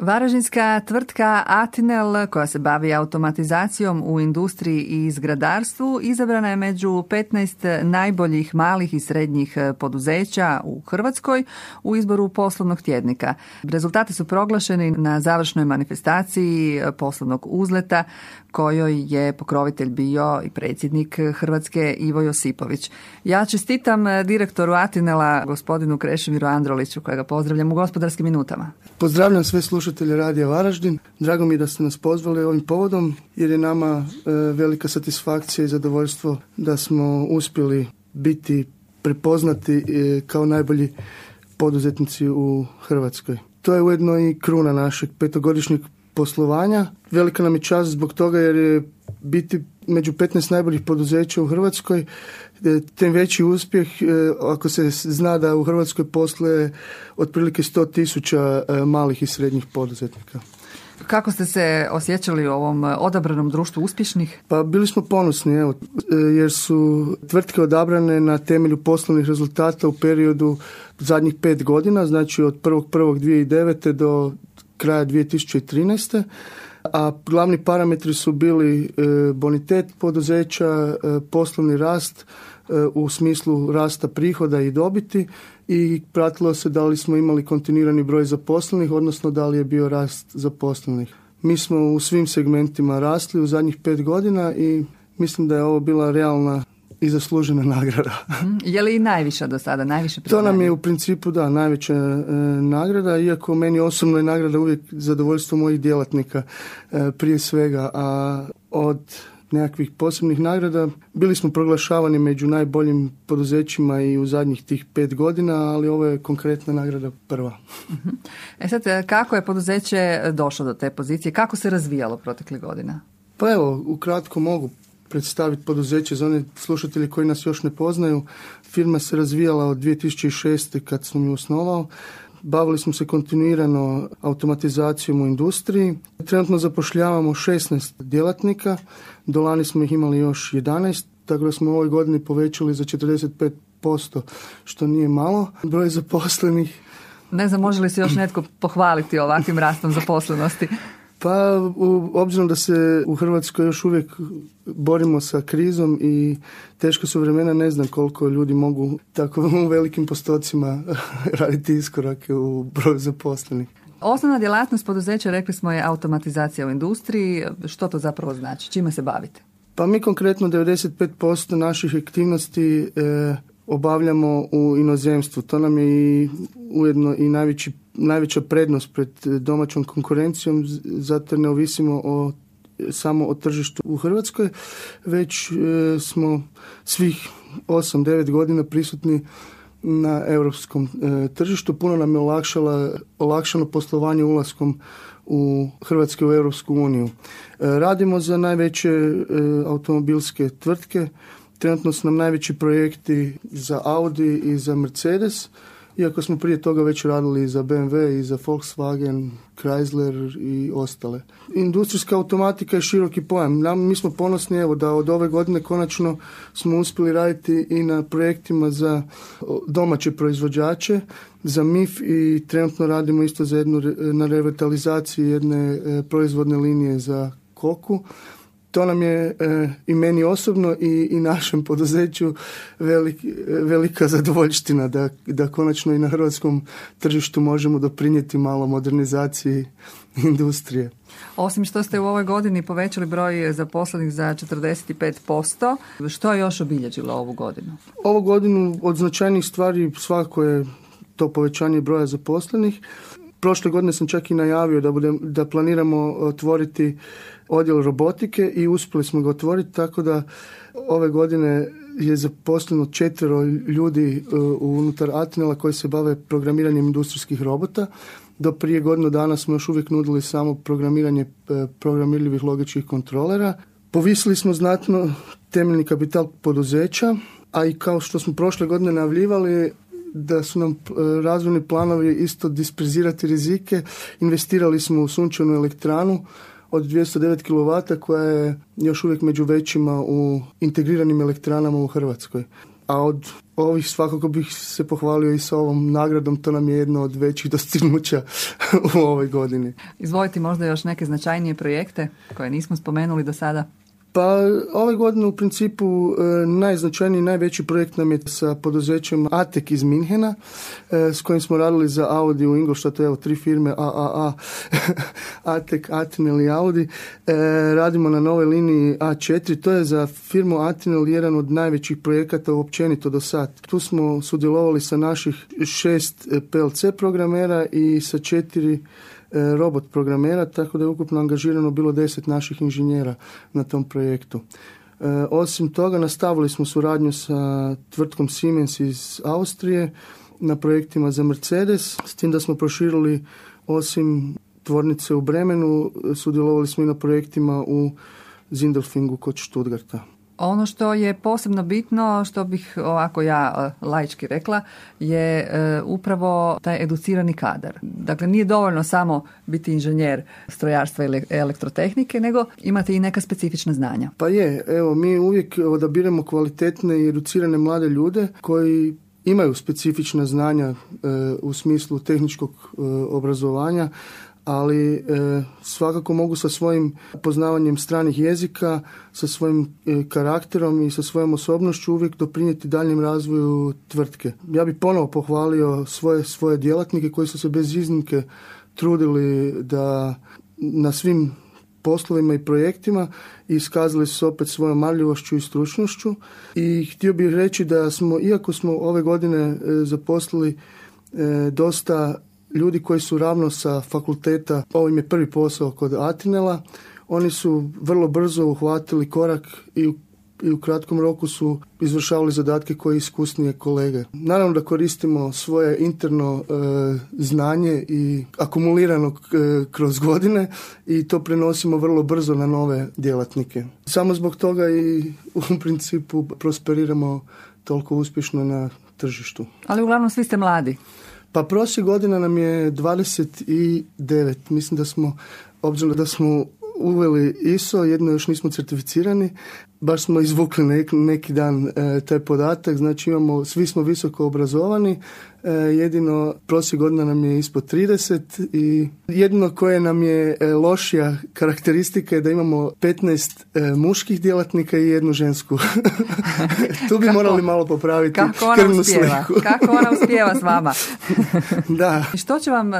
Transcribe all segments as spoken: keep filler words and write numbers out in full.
Varaždinska tvrtka Atinel, koja se bavi automatizacijom u industriji i zgradarstvu, izabrana je među petnaest najboljih malih i srednjih poduzeća u Hrvatskoj u izboru poslovnog tjednika. Rezultati su proglašeni na završnoj manifestaciji poslovnog uzleta, kojoj je pokrovitelj bio i predsjednik Hrvatske Ivo Josipović. Ja čestitam direktoru Atinela, gospodinu Krešimiru Androliću, kojega pozdravljam u Gospodarskim minutama. Pozdravljam sve slušatelje Radija Varaždin. Drago mi je da ste nas pozvali ovim povodom, jer je nama e, velika satisfakcija i zadovoljstvo da smo uspjeli biti prepoznati e, kao najbolji poduzetnici u Hrvatskoj. To je ujedno i kruna našeg petogodišnjeg poslovanja. Velika nam je čast zbog toga jer je biti među petnaest najboljih poduzeća u Hrvatskoj tem veći uspjeh ako se zna da u Hrvatskoj posluje otprilike sto tisuća malih i srednjih poduzetnika. Kako ste se osjećali u ovom odabranom društvu uspješnih? Pa bili smo ponosni, evo, jer su tvrtke odabrane na temelju poslovnih rezultata u periodu zadnjih pet godina, znači od prvog prvog dvije tisuće devete do kraja dvije tisuće trinaeste. A glavni parametri su bili bonitet poduzeća, poslovni rast u smislu rasta prihoda i dobiti i pratilo se da li smo imali kontinuirani broj zaposlenih, odnosno da li je bio rast zaposlenih. Mi smo u svim segmentima rasli u zadnjih pet godina i mislim da je ovo bila realna i zaslužena nagrada. Je li i najviša do sada, najviše priznanje? To nam je u principu, da, najveća e, nagrada, iako meni osobno je nagrada uvijek zadovoljstvo mojih djelatnika e, prije svega, a od nekakvih posebnih nagrada bili smo proglašavani među najboljim poduzećima i u zadnjih tih pet godina, ali ovo je konkretna nagrada prva. E sad, kako je poduzeće došlo do te pozicije? Kako se razvijalo proteklih godina? Pa evo, ukratko mogu predstaviti poduzeće za one slušatelji koji nas još ne poznaju. Firma se razvijala od dvije tisuće šeste kad sam ju osnovao. Bavili smo se kontinuirano automatizacijom u industriji. Trenutno zapošljavamo šesnaest djelatnika. Do lani smo ih imali još jedanaest, tako da smo u ovoj godini povećali za četrdeset pet posto, što nije malo. Broj zaposlenih. Ne znam, može li se još netko pohvaliti ovakvim rastom zaposlenosti? Pa, u, obzirom da se u Hrvatskoj još uvijek borimo sa krizom i teško su vremena, ne znam koliko ljudi mogu tako u velikim postocima raditi iskorake u broju zaposlenih. Osnovna djelatnost poduzeća, rekli smo, je automatizacija u industriji. Što to zapravo znači? Čime se bavite? Pa mi konkretno devedeset pet posto naših aktivnosti e, obavljamo u inozemstvu. To nam je i ujedno i najveći najveća prednost pred domaćom konkurencijom, zato ne ovisimo o, samo o tržištu u Hrvatskoj, već e, smo svih osam devet godina prisutni na europskom e, tržištu. Puno nam je olakšala, olakšano poslovanje ulaskom u Hrvatske u Europsku uniju. E, radimo za najveće e, automobilske tvrtke. Trenutno su nam najveći projekti za Audi i za Mercedes, iako smo prije toga već radili i za B M W i za Volkswagen, Chrysler i ostale. Industrijska automatika je široki pojam. Mi smo ponosni evo da od ove godine konačno smo uspjeli raditi i na projektima za domaće proizvođače, za M I F i trenutno radimo isto za jednu, na revitalizaciji jedne proizvodne linije za koku. To nam je e, i meni osobno i, i našem poduzeću velik, velika zadovoljština da, da konačno i na hrvatskom tržištu možemo doprinijeti malo modernizaciji industrije. Osim što ste u ovoj godini povećali broj zaposlenih za četrdeset pet posto, što je još obilježilo ovu godinu? Ovu godinu od značajnih stvari svakako je to povećanje broja zaposlenih. Prošle godine sam čak i najavio da, budem, da planiramo otvoriti odjel robotike i uspjeli smo ga otvoriti, tako da ove godine je zaposleno četvero ljudi unutar Atinela koji se bave programiranjem industrijskih robota. Do prije godinu dana smo još uvijek nudili samo programiranje programirljivih logičkih kontrolera. Povisili smo znatno temeljni kapital poduzeća, a i kao što smo prošle godine najavljivali da su nam razvojni planovi isto disperzirati rizike, investirali smo u sunčanu elektranu od dvjesto devet kilovata koja je još uvijek među većima u integriranim elektranama u Hrvatskoj. A od ovih svakako bih se pohvalio i sa ovom nagradom, to nam je jedno od većih dostignuća u ovoj godini. Izvolite možda još neke značajnije projekte koje nismo spomenuli do sada? Pa ove godine u principu e, najznačajniji, najveći projekt nam je sa poduzećem Atek iz Minhena, e, s kojim smo radili za Audi u Ingolstadtu, evo tri firme A A A, Atek, Atinel i Audi. E, radimo na novoj liniji A četiri, to je za firmu Atinel jedan od najvećih projekata općenito do sad. Tu smo sudjelovali sa naših šest P L C programera i sa četiri robot programera, tako da je ukupno angažirano bilo deset naših inženjera na tom projektu. E, osim toga, nastavili smo suradnju sa tvrtkom Siemens iz Austrije na projektima za Mercedes, s tim da smo proširili osim tvornice u Bremenu, sudjelovali smo i na projektima u Zindelfingu kod Stuttgarta. Ono što je posebno bitno, što bih ovako ja laički rekla, je e, upravo taj educirani kadar. Dakle, nije dovoljno samo biti inženjer strojarstva ili elektrotehnike, nego imati i neka specifična znanja. Pa je, evo, mi uvijek odabiremo kvalitetne i educirane mlade ljude koji imaju specifična znanja e, u smislu tehničkog e, obrazovanja, ali e, svakako mogu sa svojim poznavanjem stranih jezika, sa svojim e, karakterom i sa svojom osobnošću uvijek doprinijeti daljem razvoju tvrtke. Ja bih ponovo pohvalio svoje, svoje djelatnike koji su se bez iznimke trudili da na svim poslovima i projektima i iskazali su opet svojom marljivošću i stručnošću. I htio bih reći da smo, iako smo ove godine e, zaposlili e, dosta ljudi koji su ravno sa fakulteta, ovo im je prvi posao kod Atinela, oni su vrlo brzo uhvatili korak i u, i u kratkom roku su izvršavali zadatke koje iskusnije kolege. Naravno da koristimo svoje interno e, znanje i akumulirano e, kroz godine i to prenosimo vrlo brzo na nove djelatnike. Samo zbog toga i u principu prosperiramo toliko uspješno na tržištu. Ali uglavnom svi ste mladi. Pa prošle godina nam je dvadeset devet. Mislim da smo, obzirom da smo uveli I S O, jedno još nismo certificirani, baš smo izvukli nek, neki dan e, taj podatak, znači imamo, svi smo visoko obrazovani, e, jedino prošle godina nam je ispod trideset i jedino koje nam je e, lošija karakteristika je da imamo petnaest e, muških djelatnika i jednu žensku. Tu bi kako, morali malo popraviti krvnu uspjeva, sliku. Kako ona uspijeva s vama? Da. Što će vam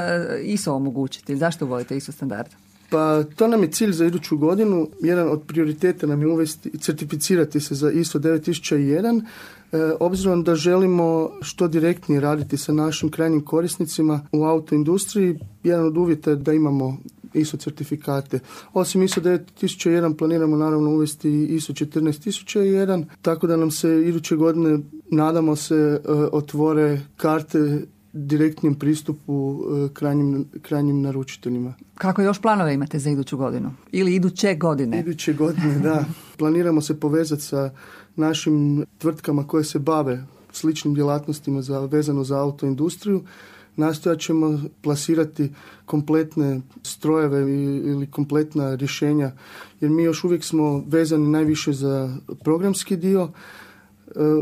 I S O omogućiti? Zašto volite I S O standard? Pa to nam je cilj za iduću godinu. Jedan od prioriteta nam je uvesti, certificirati se za I S O devet tisuća jedan, e, obzirom da želimo što direktnije raditi sa našim krajnjim korisnicima u autoindustriji. Jedan od uvjeta je da imamo I S O certifikate. Osim I S O devet tisuća jedan planiramo naravno uvesti I S O četrnaest tisuća jedan, tako da nam se iduće godine, nadamo se, e, otvore karte direktnim pristupu krajnjim, krajnjim naručiteljima. Kako još planove imate za iduću godinu? Ili iduće godine? Iduće godine, da. Planiramo se povezati sa našim tvrtkama koje se bave sličnim djelatnostima za, vezano za autoindustriju. Nastojat ćemo plasirati kompletne strojeve ili kompletna rješenja, jer mi još uvijek smo vezani najviše za programski dio.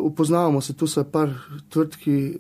Upoznavamo se tu sa par tvrtki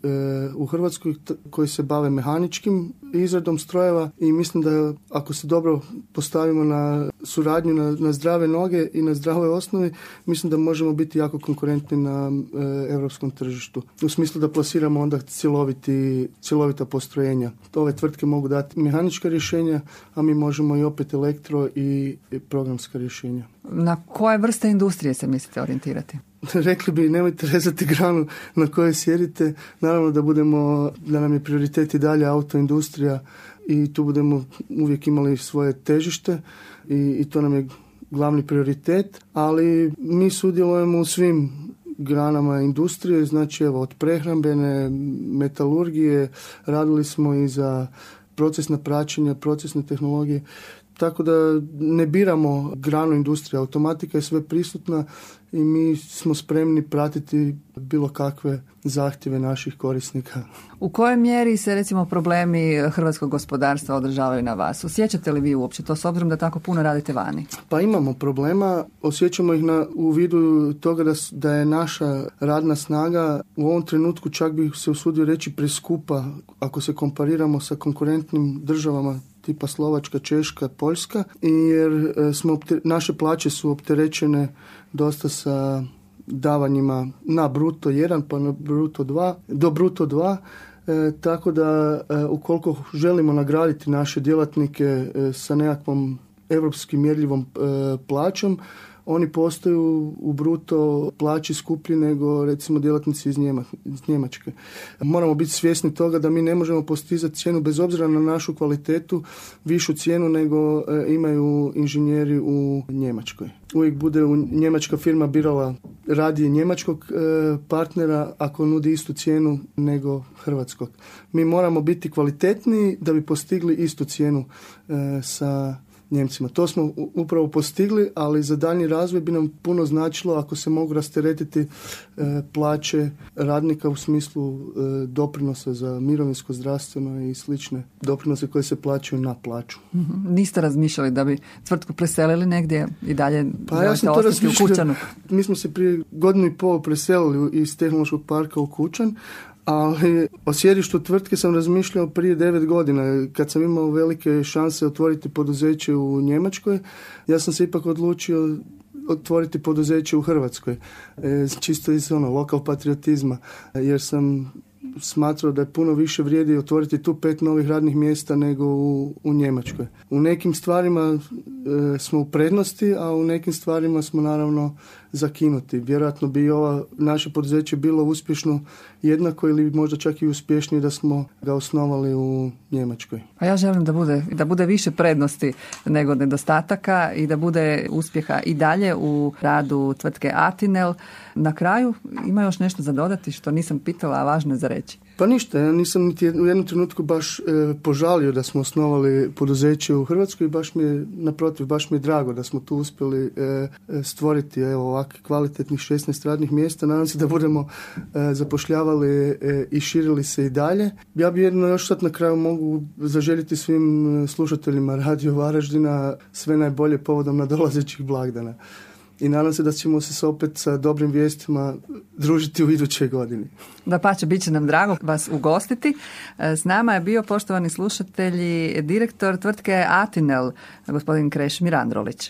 u Hrvatskoj koji se bave mehaničkim izradom strojeva i mislim da ako se dobro postavimo na suradnju na, na zdrave noge i na zdravoj osnovi, mislim da možemo biti jako konkurentni na e, europskom tržištu. U smislu da plasiramo onda cjeloviti, cjelovita postrojenja. Ove tvrtke mogu dati mehanička rješenja, a mi možemo i opet elektro i, i programska rješenja. Na koje vrste industrije se mislite orijentirati? Rekli bi, nemojte rezati granu na kojoj sjedite. Naravno da budemo, da nam je prioritet i dalje autoindustrija i tu budemo uvijek imali svoje težište i, i to nam je glavni prioritet, ali mi sudjelujemo u svim granama industrije, znači evo od prehrambene, metalurgije, radili smo i za procesna praćenja, procesne tehnologije, tako da ne biramo granu industrije. Automatika je sve prisutna i mi smo spremni pratiti bilo kakve zahtjeve naših korisnika. U kojoj mjeri se recimo problemi hrvatskog gospodarstva održavaju na vas? Osjećate li vi uopće to s obzirom da tako puno radite vani? Pa imamo problema, osjećamo ih na, u vidu toga da, da je naša radna snaga u ovom trenutku, čak bih se usudio reći, preskupa ako se kompariramo sa konkurentnim državama tipa Slovačka, Češka, Poljska, jer smo, naše plaće su opterećene dosta sa davanjima na bruto jedan pa na bruto dva, do bruto dva, e, tako da e, ukoliko želimo nagraditi naše djelatnike e, sa nekakvom europskim mjerljivom e, plaćom, oni postaju u bruto plaći skuplji nego recimo djelatnici iz, Njema, iz Njemačke. Moramo biti svjesni toga da mi ne možemo postizati cijenu bez obzira na našu kvalitetu, višu cijenu nego e, imaju inženjeri u Njemačkoj. Uvijek bude u njemačka firma birala radije njemačkog e, partnera ako nudi istu cijenu nego hrvatskog. Mi moramo biti kvalitetniji da bi postigli istu cijenu e, sa Njemcima. To smo upravo postigli, ali za daljnji razvoj bi nam puno značilo ako se mogu rasteretiti e, plaće radnika u smislu e, doprinosa za mirovinsko, zdravstveno i slične doprinose koje se plaćaju na plaću. Mm-hmm. Niste razmišljali da bi tvrtku preselili negdje i dalje pa ja sam to u Kučanu? Mi smo se prije godinu i pol preselili iz tehnološkog parka u Kučan, ali o sjedištu tvrtke sam razmišljao prije devet godina. Kad sam imao velike šanse otvoriti poduzeće u Njemačkoj, ja sam se ipak odlučio otvoriti poduzeće u Hrvatskoj. E, čisto iz ono, lokal patriotizma. Jer sam smatrao da je puno više vrijedi otvoriti tu pet novih radnih mjesta nego u, u Njemačkoj. U nekim stvarima e, smo u prednosti, a u nekim stvarima smo naravno zakinuti. Vjerojatno bi ova naše poduzeće bilo uspješno jednako ili možda čak i uspješnije da smo ga osnovali u Njemačkoj. A ja želim da bude, da bude više prednosti nego nedostataka i da bude uspjeha i dalje u radu tvrtke Atinel. Na kraju ima još nešto za dodati što nisam pitala, a važno je za reći. Pa ništa, ja nisam niti u jednom trenutku baš e, požalio da smo osnovali poduzeće u Hrvatskoj i baš mi je, naprotiv, baš mi je drago da smo tu uspjeli e, stvoriti evo, ovakve kvalitetnih šesnaest radnih mjesta. Nadam se da budemo e, zapošljavali e, i širili se i dalje. Ja bi jedno još sad na kraju mogu zaželjeti svim slušateljima Radio Varaždina sve najbolje povodom nadolazećih blagdana. I nadam se da ćemo se opet sa dobrim vijestima družiti u idućoj godini. Dapače, bit će nam drago vas ugostiti. S nama je bio, poštovani slušatelji, direktor tvrtke Atinel, gospodin Krešimir Androlić.